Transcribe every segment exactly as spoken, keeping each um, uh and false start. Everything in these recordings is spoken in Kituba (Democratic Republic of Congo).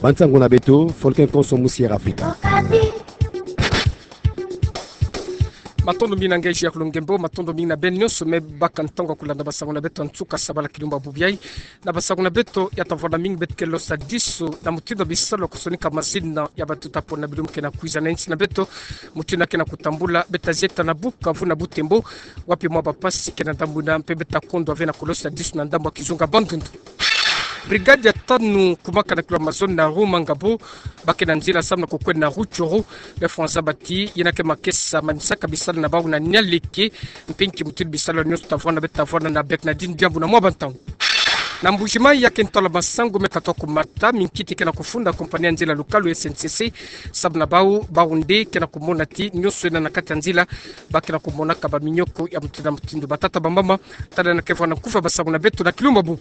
Bansango na beto, Folken Konso Musier Afrika. Matondo mingi na nge Gilles Lungembo, matondo mingi na beno nyonso me baka ntangu ya kulanda basango na beto ya nsuka sabala kilumbu bubu yai. Na basango na beto ya tavwanda mingi beto ke losa disu na mutindu ya bisalu ya kusonika mazina ya batuta pona bilumbu ke na kwiza na insi na beto, mutindu ya ke na kutambula, beto ta zieta na Bukavu na Butembo, wapi mwa bapasi ke na ndambu yina mpe beto ta kondwa ve na kulosa disu na ndambu ya kizunga Bandundu. Brigade ya tanu kumaka na kilo Amazon na Rumangabo, ba ke na nzila samu na kukwenda na Rutshuru, be fwa nzabati, yina ke makesa manisaka bisalu na bau na Nialeke, mpe nki mutindu bisalu nyonso tavwanda beto tavwanda na bek na dini diambu na mwa bantangu. Na Mbuji-Mayi ya ke ntwala masangu me katuka kumata, minkiti ke na kufunda kompani ya nzila lukalu S N C C, samu na bau, bau nde ke na kumona ti nyonso yena na kati ya nzila, ba ke na kumonaka baminyoko ya mutindu na mutindu. Batata bamama, tala yena ke vwanda nkufi ya basango na beto na kilumbu bubu.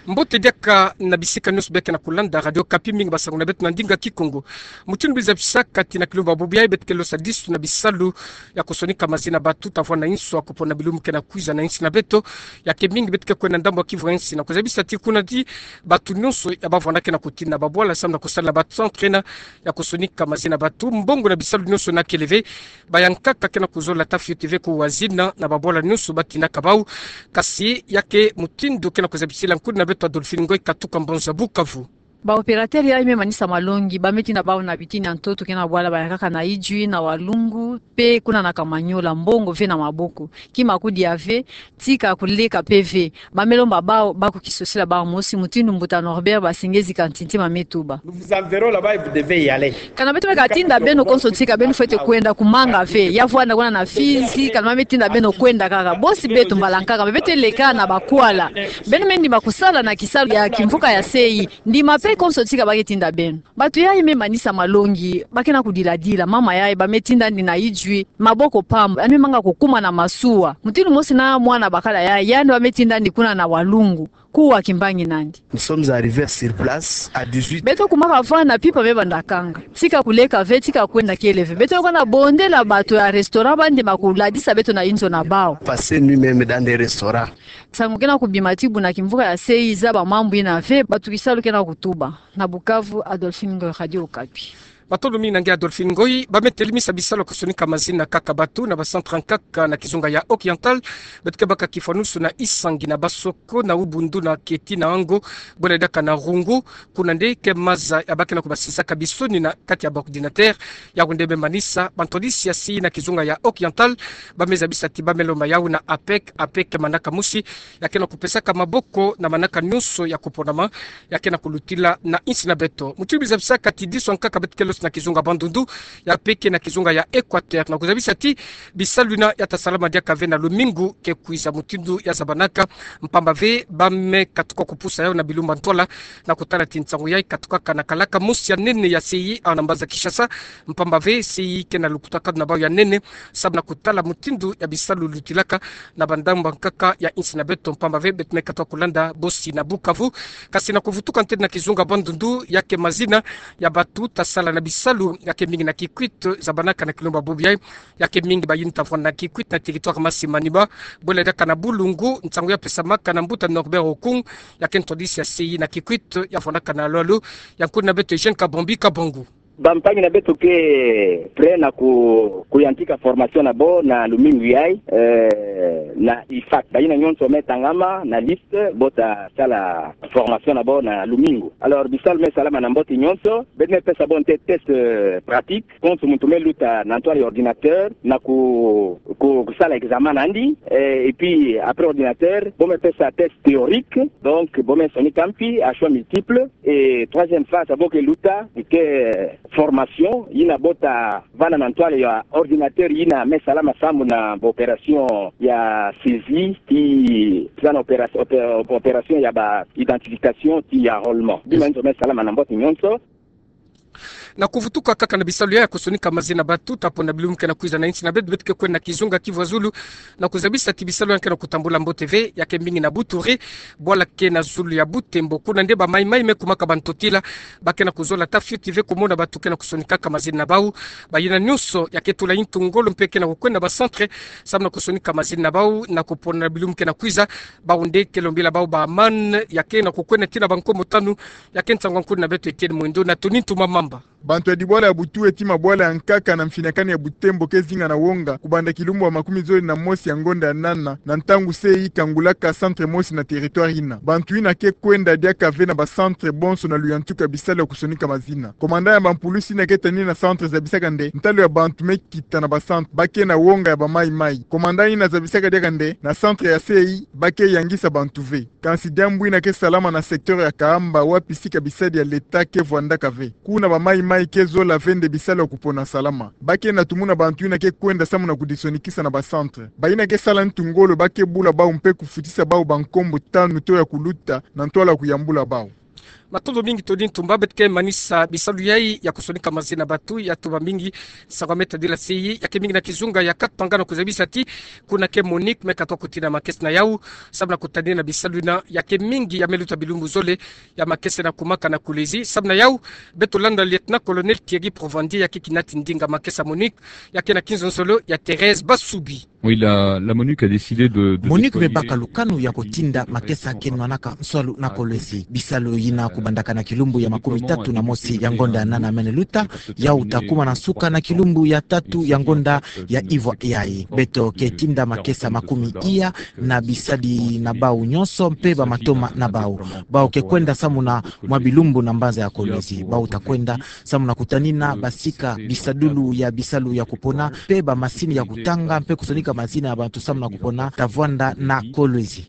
Mbote diaka na bisika nyonso bia ke na kulanda Radio Okapi, mingi basango na beto na ndinga Kikongo. Mutindu bizabisaka ti na kilumbu bubu yai beto ke losa disu na bisalu ya kusonika mazina batuta vwanda na inso ya kupona bilumbu ke na kwiza na insi na beto, ya ke mingi beto ke kwenda ndambu ya kivu ya insi na kuzabisa ti kuna ti bato nyonso ya bavwanda ke na kutinda babwala samu na kusala ba centre yena ya kusonika mazina batu. Mbongo na bisalu nyonso yena kele ve, bayankaka ke na kuzola ta fioti ve kuwa zina na babwala nyonso batindaka bau. Kasi ya ke mutindu ke na kuzabisila nkundi na beto Adolphine Ngoy katuka mbanza Bukavu. Ba opérateur yai me manisa malongi, ba me tinda bau na bitini ya ntoto ke na bwala bayankaka na Idjwi, na Walungu, mpe kuna na Kamanyola, mbongo ve na maboko. Kima kudia ve, tika kuleka mpe ve. Ba me lomba bau, ba kukisosila bau mosi, mutindu mbuta Norbert Basengezi Kantinti ma me tuba. Nous vous enverrons là-bas et vous devez y aller. Kana beto me katinda beno konso tika beno fwete kwenda, kumanga ve. Ya vwanda kuna na Fizi, kana ba me tinda beno kwenda kaka. Bosi beto mbala nkaka, beto leka na bakwala. Beno me ndima kusala na kisalu ya kimvuka ya C I. Ndima mpe konso tika ba ke tinda beno. Bato yai me manisa malongi, ba ke na kudiladila, mama yai ba me tinda ndi na Idjwi, maboko pamba, yandi me manga kukuma na masuwa. Mutindu mosi na mwana bakala yai, yandi ba me tinda ndi kuna na Walungu, kuwa kimbangi nandi. Nous sommes arrivés sur place à dix-huit. Beto kumaka vwanda, mpimpa me banda kanga. Tika kuleka ve, tika kwenda kele ve. Beto ke na bondela bato ya restaurant ba ndima kuladisa beto na inzo na bau. Passé nous-mêmes dans des restaurants. Nsangu ke na kubima ti buna kimvuka ya C I zaba mambu yina ve, bato kisalu ke na kutuba. Na Bukavu, Adolphine Ngoy, Radio Okapi. Matondo mingi na nge Adolphine Ngoy. Ba me telemisa bisalu ya kusonika mazina kaka batu na ba centre nkaka na kizunga ya Oriental, beto ke baka kifwanusu na Isangi, na Basoko, na Ubundu, na Keti, na Ango, bwela diaka na Rungu. Kuna nde ke maza ya ba ke na kubasisaka bisoni na kati ya ba ordinateur. Yawu nde me manisa bantwadisi ya C I na kizunga ya Oriental. Ba me zabisa ti ba me lomba yawu na APEC, APEC manaka mosi ya ke na kupesaka maboko na manaka nyonso ya kuponama ya ke na kulutila na insi na beto. Mutindu bizabisaka ti disu nkaka beto ke losa na kizunga Bandundu, ya mpe ke na kizunga ya Equateur, na kuzabisa ti bisalu yina ya ta salama diaka ve na lumingu ke kwiza, mutindu ya zabanaka, mpamba ve ba me katuka kupusa yawu na bilumbu ntwala, na kutala ti nsangu yai katukaka na kalaka mosi ya nene ya C I awa na mbanza Kinshasa, mpamba ve C I ke na lukutakanu na bau ya nene, samu na kutala mutindu ya bisalu lutilaka na bandambu nkaka ya insi na beto, mpamba ve beto me katuka kulanda bosi na Bukavu. Kasi na kuvutuka ntete na kizunga Bandundu, ya ke mazina ya batu ta sala na bisalu ya ke mingi na Kikwit, zabanaka na kilumbu bubu yai, ya ke mingi bayindu ta vwanda na Kikwit na territoire Masi Manima, bwela diaka na Bulungu. Nsangu ya pesamaka na mbuta Norbert Okung, ya ke ntwadisi ya C I na Kikwit, ya vwandaka na lwalu ya nkundi na beto Eugène Kabambi Kabangu. Bampangi na beto ke prêt na ku, kuyantika formation na bo na lumingu yai, eh, na IFAT. Bayina nyonso me tangama na liste, bo ta sala formation na bo na lumingu. Alors, bisalu me salama na mbote nyonso, beto me pesa bo ntete test, euh, pratique, konso muntu me luta na ntwala ya ordinateur, na ku, ku, kusala examen na yandi, eh, et puis après ordinateur, bo me pesa test théorique, donc bo me sonika mpi à choix multiple, et troisième phase, bo ke luta, ke formation yina bo ta vana na ntwala ya ordinateur yina me salama samu na ba opération ya saisie, ti, ti na opéra-, opé-, opération ya ba identification, ti ya enrôlement. Bima nyonso me salama na mbote nyonso. Na kuvutuka kaka na bisalu ya kusonika mazi na batu, ta pona bilumbu ke na kwiza na insi na beto, beto ke kwenda na kizunga Kivu ya Zulu, na kuzabisa ti bisalu ya ke na kutambula mbote ve, ya ke mingi na Buturi, bwala ke na zulu ya Butembo. Kuna nde ba Mai-Mai me kumaka ba ntotila, ba ke na kuzola ta fioti ve kumona batu ke na kusonikaka mazi na bau. Bayina nyonso ya ke tula ntu ngolo mpe ke na kukwenda na ba centre, samu na kusonika mazi na bau, na kupona bilumbu ke na kwiza, bau nde ke lombila bau ba man, ya ke na kukwenda tii na ba nkomo tanu, ya ke nsangu ya nkulu na beto Etienne Mwendo na Tony Ntumba Mamba. Bantu ya dibwala ya Butuhe tii mabwala ya nkaka na mfinakani ya Butembo ke zinga na wonga, kubanda kilumbu ya makumi zole na mosi ya ngonda ya nana, na ntangu se ikangulaka centre mosi na territoire yina. Bantu yina ke kwenda diaka ve na ba centre bonso na luyantuka bisalu ya kusonika mazi na. Commandant ya ba mpulusi yina ke tanina centre zabisaka nde ntalu ya bantu me kita na ba centre, ba ke na wonga ya ba Mai-Mai. Commandant yina zabisaka diaka nde na centre ya sei ba ke yangisa bantu ve. Kansi diambu yina ke salama na secteur ya Kahamba, wapi sika bisadi ya l'État ke vwandaka ve. Kuna ba Mai-Mai ke zola ve nde bisalu ya kupona salama. Ba ke na tumuna bantu yina ke kwenda samu na kudisonikisa na ba centre. Bayina ke sala ntu ngolo ba ke bula bau mpe kufutisa bau ba nkombo tanu to ya kuluta na ntwala kuyambula bau. Matondo mingi Tony Ntumba. Beto ke manisa bisalu yai ya kusonika mazi na batu, ya tuba mingi nsangu me tadila sei, ya ke mingi na kizunga ya Katanga na kuzabisa ti kuna ke MONUC me katuka kutina makesa na yau, samu na kutanina bisalu yina, ya ke mingi ya me luta bilumbu zole, ya makesa na kumaka na Kolwezi. Samu na yau, beto landa lieutenant-colonel Thierry Provandi, ya ke kinati ndinga makesa MONUC, ya ke na kinzonzolo ya Thérèse Basubi. Oui, la, la MONUC a décidé de, de MONUC me déployer baka lukanu ya kutinda makesa ke nwanaka nswalu na Kolwezi. Bisalu yina kubandaka na kilumbu ya makumi tatu na mosi ya ngonda ya nana mene luta, yau ta kuma na nsuka na kilumbu ya tatu ya ngonda ya ivwa yai. Beto ke tinda makesa makumi iya na bisadi na bau nyonso mpe ba matoma na bau. Bau ke kwenda samu na mwa bilumbu na mbanza ya Kolwezi. Bau ta kwenda samu na kutanina basika bisadulu ya bisalu ya kupona, mpe ba masini ya kutanga, mpe kusonika mazina ya bantu samu na kupona, ta vwanda na Kolwezi.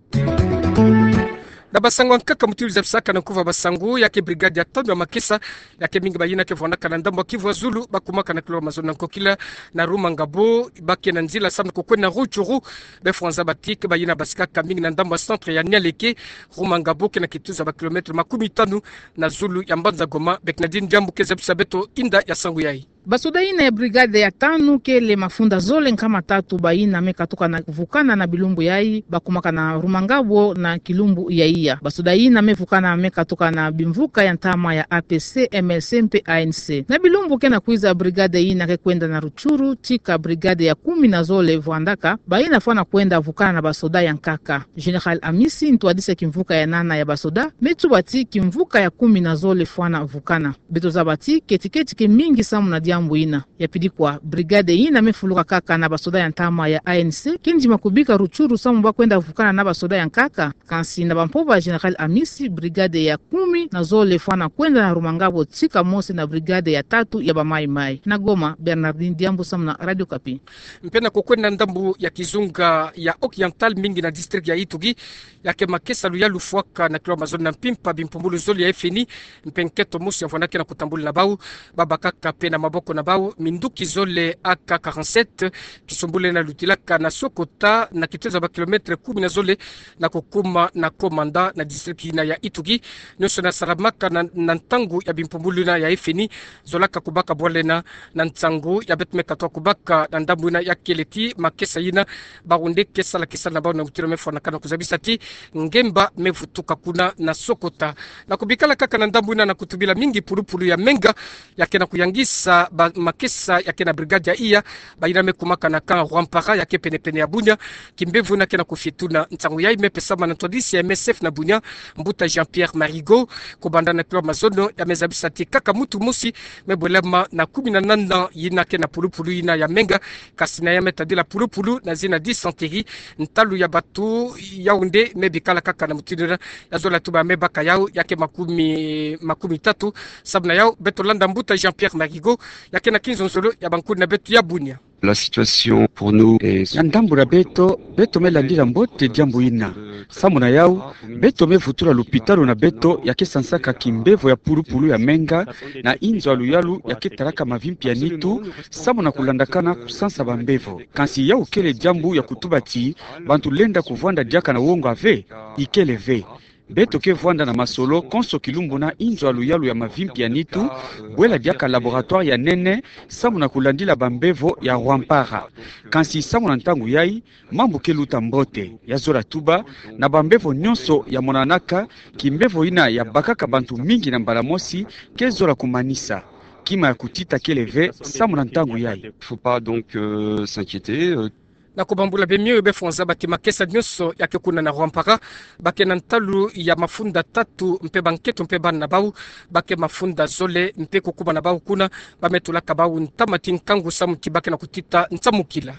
Na basangu ya nkaka muti zabisaka na nkuva basangu, ya ke brigade ya tanu ya makesa, ya ke mingi bayina ke vwandaka na ndambu ya Kivu ya Zulu, ba kumaka na kilolo mazono na nkokila na Rumangabo, ba ke na nzila samu na kukwenda na Rutshuru, be fwanza ba ti ke bayina basikaka mingi na ndambu ya centre ya Nialeke, Rumangabo ke na kituza ba kilomètre makumi tanu na zulu ya mbanza Goma. Bernardine Diambu ke zabisa beto inda ya sangu yai. Basoda yina ya brigade ya tanu kele mafunda zole nkama tatu bayina me katuka na vukana na bilumbu yai, ba kumaka na Rumangabo na kilumbu ya iya. Basoda yina me vukana me katuka na bimvuka ya ntama ya A P C, M L C mpe A N C. Na bilumbu ke na kwiza brigade yina ke kwenda na Rutshuru, tika brigade ya kumi na zole vwandaka, bayina fwana kwenda vukana na basoda ya nkaka. Général Amisi, ntwadisi ya kimvuka ya nana ya basoda, me tuba ti kimvuka ya kumi na zole fwana vukana. Beto zaba ti keti-keti ke mingi samu na diambu yina. Ya pili kwa, brigade yina me fuluka kaka na basoda ya ntama ya A N C, ke ndima kubika Rutshuru samu ba kwenda vukana na basoda ya nkaka. Kansi na bampova Général Amisi, brigade ya kumi na zole fwana kwenda na Rumangabo tika mosi na brigade ya tatu ya ba Mai-Mai. Na Goma, Bernardine Diambu samu na Radio Okapi. Mpe na kukwenda ndambu ya kizunga ya Occidental, mingi na district ya Ituri, ya ke makesa luyalu fwaka na kilolo mazono na mpimpa bimpumbulu zole ya F N I, mpe nketo mosi ya vwandaka na kutambula na bau, ba bakaka mpe na maboko na bau minduki zole A K quarante-sept, kisumbulu yina lutilaka na Sokota na kituza ba kilomètre kumi na zole na kukuma na Komanda na district yina ya Ituri. Nyonso yina salamaka na, na ntangu ya bimpumbulu yina ya F N I zolaka kubaka bwala yina na nsangu ya beto me katuka kubaka na ndambu yina ya kele ti makesa yina, bau nde ke sala kisala na bau na mutindo me fwanakana, kuzabisa ti ngemba me vutuka kuna na Sokota. Na kubikala kaka na ndambu yina, na kutubila mingi pulupulu ya Menga, ya ke na kuyangisa ba makesa ya ke na brigade ya iya, bayina me kumaka na camp Rwampara ya ke pene-pene ya Bunia. Kimbevo yina ke na kufietuna nsangu yai me pesama na ntwadisi ya M S F na Bunia, Mbuta Jean-Pierre Marigot, kubanda na kilolo mazono, ya me zabisa ti kaka mutu mosi me bwelama na kumi na nana yina ke na pulupulu yina ya Menga, kansi na ya me tadila pulupulu na zina dysenterie, ntalu ya batu yau nde me bikala kaka na mutindu yina. Ya zola tuba me baka yau ya ke makumi, makumi tatu. Samu na yau, beto landa Mbuta Jean-Pierre Marigot, ya ke na kinzonzolo ya bankulu na beto ya Bunia. La situation pour nous est... Na ndambu ya beto, beto me landila mbote diambu yina. Samu na yau, beto me vutula lupitalu na beto ya ke sansaka kimbevo ya pulupulu ya Menga, na inzo ya luyalu ya ke talaka mavimpi ya nitu, samu na kulandakana kusansa bambevo. Kansi yau kele diambu ya kutuba ti bantu lenda kuvwanda diaka na wonga ve, ikele ve. Beto ke vwanda na masolo konso kilumbu na inzo ya luyalu ya mavimpi ya nitu, bwela diaka laboratoire ya nene, samu na kulandila bambevo ya Rwampara. Kansi samu na ntangu yai, mambu ke luta mbote, ya zola tuba, na bambevo nyonso ya monanaka, kimbevo ina ya bakaka bantu mingi na mbala mosi, ke zola kumanisa. Kima ya kutita kele ve, samu na ntangu yai. Faut pas donc euh, s'inquiéter. Euh, Na kubambula bemio yo befonza baki makesa nyonso ya ke kuna na Rwampara, ba ke na ntalu ya mafunda tatu mpe bankento mpe bana na bau, ba ke mafunda zole mpe kukubama na bau kuna, ba me tulaka bau ntama ti nkangu samu ti ba ke na kutita nsamukila.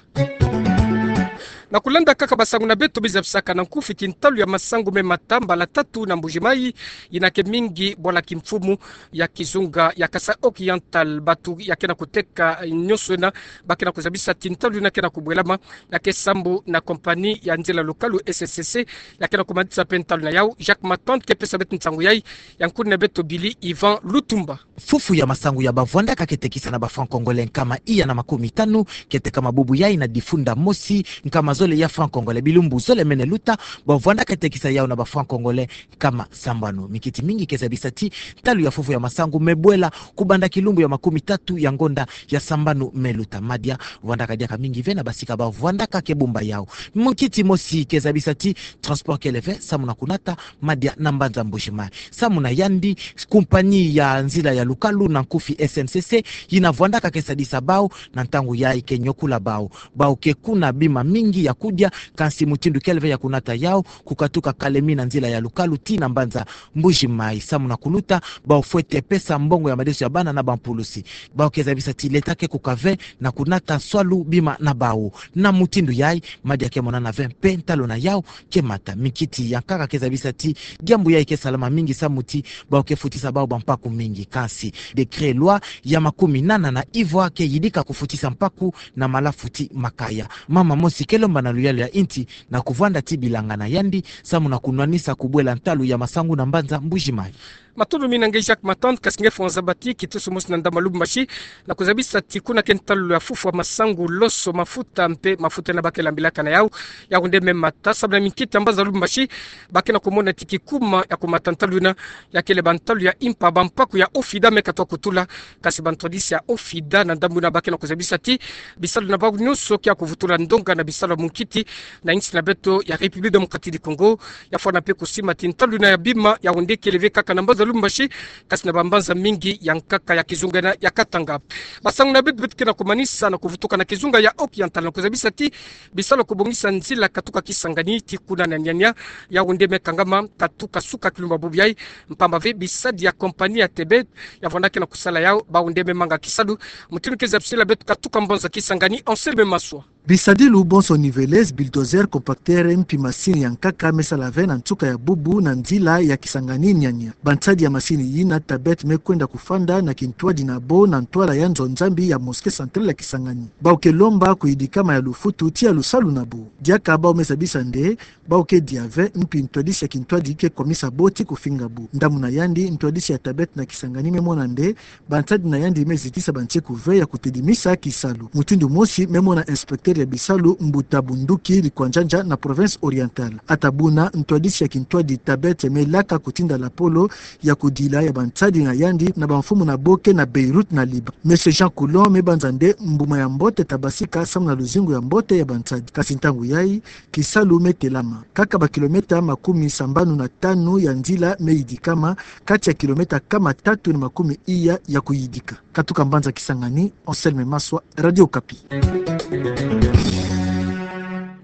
Na kulanda kaka basangu na beto bizabisaka na nkufi ti ntalu ya masangu me mata mbala tatu na Mbuji-Mayi, ina ke mingi bwala kimfumu ya kizunga ya Kasaï Oriental, batu ya ke na kuteka nyonso ina, ba ke na kuzabisa ti ntalu ina ke na kubwelama, ya ke sambu na compagnie ya nzila lukalu S N C C, ya ke na kumanisa mpe ntalu na yau. Jacques Matant ke pesa beto nsangu yai, ya nkuni na beto Billy Ivan Lutumba. Fufu ya masangu ya bavwandaka ke tekisa na ba francs congolais nkama iya na makumi tanu, ke tekama bubu yai na difunda mosi nkama zole ya francs congolais. Bilumbu zole mene luta, bavwandaka ke tekisa yau na ba francs congolais nkama sambanu. Mikiti mingi ke zabisa ti ntalu ya fufu ya masangu me bwela kubanda kilumbu ya makumi tatu ya ngonda ya sambanu me luta. Madia vwandaka diaka mingi ve na basika bavwandaka ke bumba yau. Mukiti mosi ke zabisa ti transport kele ve, samu na kunata madia na mbanza Mbuji-Mayi. Samu na yandi, compagnie ya nzila ya lukalu na nkufi S N C C, ina vwandaka ke sadisa bau, na ntangu yai ke nyokula bau. Bau ke kuna bima mingi ya kudia, kansi mutindu kele ve ya kunata yau, kukatuka Kalemi na nzila ya lukalu tii na mbanza Mbuji-Mayi. Samu na kuluta, bau fwete pesa mbongo ya madeso ya bana na bampulusi. Bau ke zabisa ti leta ke kuka ve na kunata swalu bima na bau. Na mutindu yai, madia ke monana ve mpe ntalu na yau ke mata. Mikiti ya nkaka ke zabisa ti diambu yai ke salama mingi samu ti bau ke futisa bau bampaku mingi. Kansi décret loi ya makumi nana na ivwa ke yidika kufutisa mpaku na malafu ti makaya. Mama mosi ke lomba na luyalu ya inti na kuvwanda ti bilanga na yandi, samu na kunwanisa kubwela ntalu ya masangu na mbanza Mbuji-Mayi. Matondo mingi na nge Jacques Matant, kasi nge fo nzabati, kitusu mosi na ndambu ya Lubumbashi, na kuzabisa ti kuna ke ntalu ya fufu ya masangu, loso, mafuta, mpe mafuta ina ba ke lambilaka na yau, yau nde me mata, samu na minkiti ya mbanza Lubumbashi, ba ke na kumona ti kikuma ya kumata ntalu ina, ya kele bantalu ya impa, bampaku ya OFIDA me katuka kutula, kasi bantwadisi ya OFIDA na ndambu ina ba ke na kuzabisa ti bisalu na bau nyonso ke ya kuvutula ndonga na bisalu ya munkiti na insi na beto ya République Démocratique du Congo, ya fwana mpe kusima ti ntalu ina ya bima, yau nde kele ve kaka na mbanza Lubumbashi, kasi na bambanza mingi ya nkaka ya kizunga ina ya Katanga. Basangu na beto, beto ke na kumanisa na kuvutuka na kizunga ya Oriental na kuzabisa ti bisalu ya kubongisa nzila katuka Kisangani tii kuna na Niania, yau nde me kangama, katuka suka kilumbu bubu yai, mpamba ve bisadi ya compagnie ya Tebet, ya vwanda ke na kusala yau, bau nde me manga kisalu, mutindu ke zabisila beto katuka mbanza Kisangani, Anselme Maswa. Bisadilu bonso niveleuse, bulldozer, compacteur, mpi masini ya nkaka me sala ve na nsuka ya bubu na nzila ya Kisangani Niania. Bansadi ya masini yina Tebet me kwenda kufanda na kintwadi na bo na ntwala ya nzo Nzambi ya mosquée centrale ya Kisangani. Bau ke lomba kuyidikama ya lufutu tii ya lusalu na bo. Diaka bau me zabisa nde, bau ke dia ve, mpi ntwadisi ya kintwadi ke kwamisa bo tii kufinga bo. Ndambu na yandi, ntwadisi ya Tebet na Kisangani me mona nde, bansadi na yandi me zitisa banseku ve ya kutedimisa kisalu. Mutindu mosi me mona inspecteur ya bisalu Mbuta Bunduki Likwandjandja na province Orientale. Ata buna, ntwadisi ya kintwadi Tebet me laka kutinda lapolo ya kudila ya bansadi na yandi na bamfumu na bo ke na Beyrouth na Liban. Monsieur Jean Coulon me banza nde mbuma ya mbote ta basika samu na luzingu ya mbote ya bansadi. Kasi ntangu yai, kisalu me telama. Kaka bakilomètre makumi sambanu na tanu ya nzila me yidikama, kati ya kilomètre nkama tatu na makumi iya ya kuyidika. Katuka mbanza Kisangani, Anselme Maswa, Radio Okapi.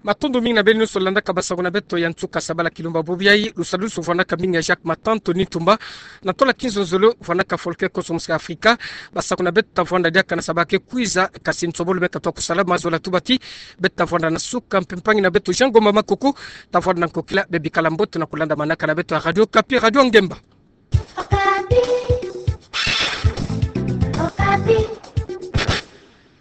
Matondo mingi na beno nyonso landaka basangu na beto ya nsuka sabala kilumbu bubu yai, lusalusu vwanaka mingi ya Jacques Matant, Tony Tumba, na tola kinzonzolo vwanaka Folklore Cosmos Africa, basangu na beto ta vwanda diaka na sabala ke kwiza, kasi nsobolo me katuka kusala, mazola tubaki, beto ta vwanda na suka, mpe mpangi na beto Jean Ngomba Makuku, ta vwanda na nkokila, bebikala mbote na kulandamanaka na beto ya Radio Okapi, Radio Ngemba. Okapi. Okapi.